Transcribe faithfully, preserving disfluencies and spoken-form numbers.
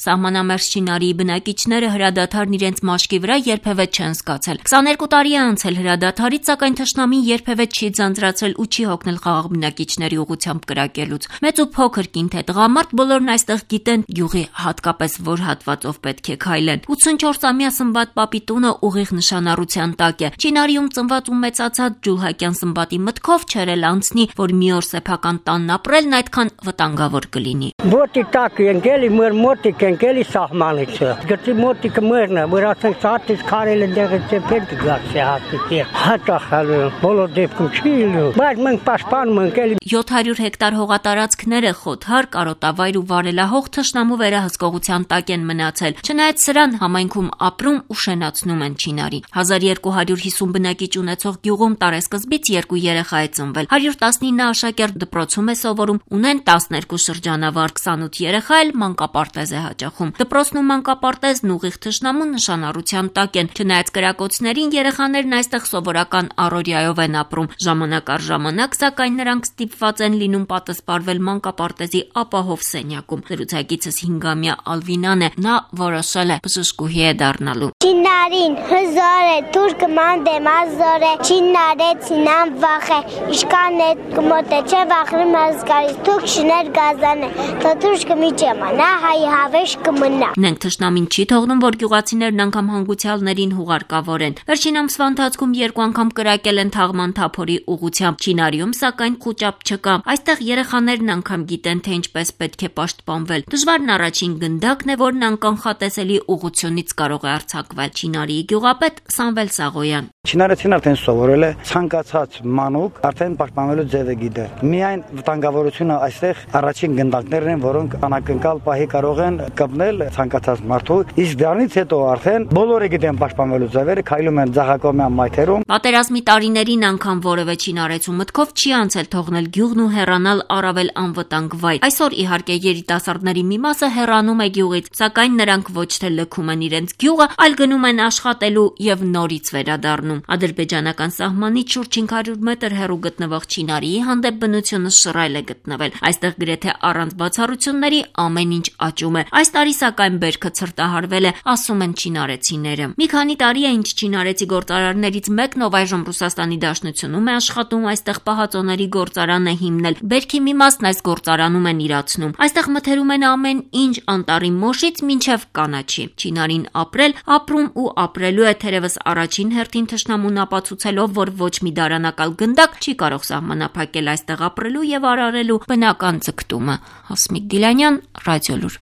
Սահմանամերձ Չինարիի բնակիչները հրադադարն իրենց մաշկի վրա երբևէ չեն զգացել։ քսաներկու տարի է անցել հրադադարից, սակայն թշնամին երբևէ չի ձանձրացրել ու չի հոգնել խաղաղ բնակիչների ուղղությամբ կրակելուց։ Մեծ ու փոքր կինթե տղամարդ բոլորն այստեղ գիտեն գյուղի հատկապես որ հատվածով պետք է քայլեն։ ութսունչորսամյա Սմբատ պապի տունը ուղիղ նշանառության տակ է։ Չինարիում ծնված ու մեծացած Ջուլհակյան Սմբատի մտքով չէր էլ անցնի, որ մի օր սեփական տանն ապրելն այդքան վտանգավոր կլինի։ Մոտի տակ ընկելի մոր մոտիկ ընկելի սահմանից։ Գտի մոտիկը մերն է, որ ասենք սատից քարել ընդեղից ծեփել գացի հասի։ Հատախալը բոլոր դեպքում չի լինում, բայց մենք պաշտպանում ենք էլի։ յոթ հարյուր հեկտար հողատարածքները խոթար, կարոտավայր ու վարելահող թշնամու վերահսկողության տակ են մնացել։ Չնայած սրան համայնքում ապրում ու շենացնում են Չինարի։ հազար երկու հարյուր հիսուն բնակիչ ունեցող գյուղում տարեսկզբից երկու երեխա է ծնվել։ հարյուր տասնինը աշակերտ դպրոցում է սովորում, ունեն տասներկու շրջանավար, քսանութ երեխա էլ մանկապարտեզ է հաճախում։ Դպրոցն ու մանկապարտեզն ուղիղ թշնամու նշանառության տակ են։ Չնայած կրակոցներին երեխաներն այստեղ սովորական առօրյայով են ապրում։ Ժամանակ առ ժամանակ, սակայն նրանք ստիպված են լինում պատասպարվել մանկապարտեզի ապահով սենյակում։ Զրուցակիցս հինգամյա Ալվինան է, նա որոշել է բժշկուհի է դառնալու։ Չինարին հզոր է, թուրքը մանդեմ ազոր է, չինարեցինան վախ է, իշկան է կմոտ է, չէ վախրում հազգարից, թուրք շներ գազան է, թա թուրքը մի ճեմանա, հայ հավեշ կմնա։ Նենք թշնամին չի թողնում, որ գյուղացիներն անգամ հանգուցյալներին հուղարկավորեն։ Վերջին ամսվա ընթացքում երկու անգամ կրակել են թաղման թափորի ուղղությամբ։ Չինարիում սակայն խուճապ չկա։ Այստեղ երեխաներն անգամ գիտեն, թե ինչպես պետք է պաշտպանվել։ Դժվարն առաջին գնդակն է, որն անկանխատեսելի ուղղությունից կարող է արձակվել։ Չինարիի գյուղապետ Սամվել Սաղոյան։ Չինարեցին արդեն սովորել է ցանկացած մանուկ արդեն պաշտպանվելու ձևը գիտե։ Միայն վտանգավորությունը այստեղ առաջին գնդակներն են, որոնք անակնկալ պահի կարող են կպնել ցանկացած մարդու։ Իսկ դրանից հետո արդեն բոլորը գիտեն պաշտպանվելու ձևերը, քայլում են ձախակողմյան մայթերում։ Պատերազմի տարիներին անգամ որևէ չինարեցու մտքով չի անցել թողնել գյուղն ու հեռանալ առավել անվտանգ վայր։ Այսօր իհարկե երիտասարդների մի մասը հեռանում է գյուղից, սակայն նրանք ոչ թե լքում են իրենց գյուղը, այլ գնում են աշխատելու եւ նորից վերադառնում։ Ադրբեջանական սահմանից շուրջ հինգ հարյուր մետր հեռու գտնվող Չինարիի հանդեպ բնությունը շռայլ է գտնվել։ Այստեղ գրեթե առանց բացառությունների ամեն ինչ աճում է։ Այս տարի սակայն բերքը ցրտահարվել է, ասում են չինարեցիները։ Մի քանի տարի է ինչ չինարեցի գործարարներից մեկն, ով այժմ Ռուսաստանի Դաշնությունում է աշխատում, այստեղ պահածոների գործարան է հիմնել։ Բերքի մի մասն այս գործարանում են իրացնում։ Այստեղ մթերում են ամեն ինչ անտառի մոշից մինչև կանաչի։ Չինարին ապրել, ապրում ու ապրելու է, թերևս առաջին հերթին թշնամուն ապացուցելով, որ ոչ մի դարանակալ գնդակ չի կարող սահմանափակել այստեղ ապրելու եւ արարելու բնական ձգտումը։ Հասմիկ Գիլանյան, Ռադիոլուր։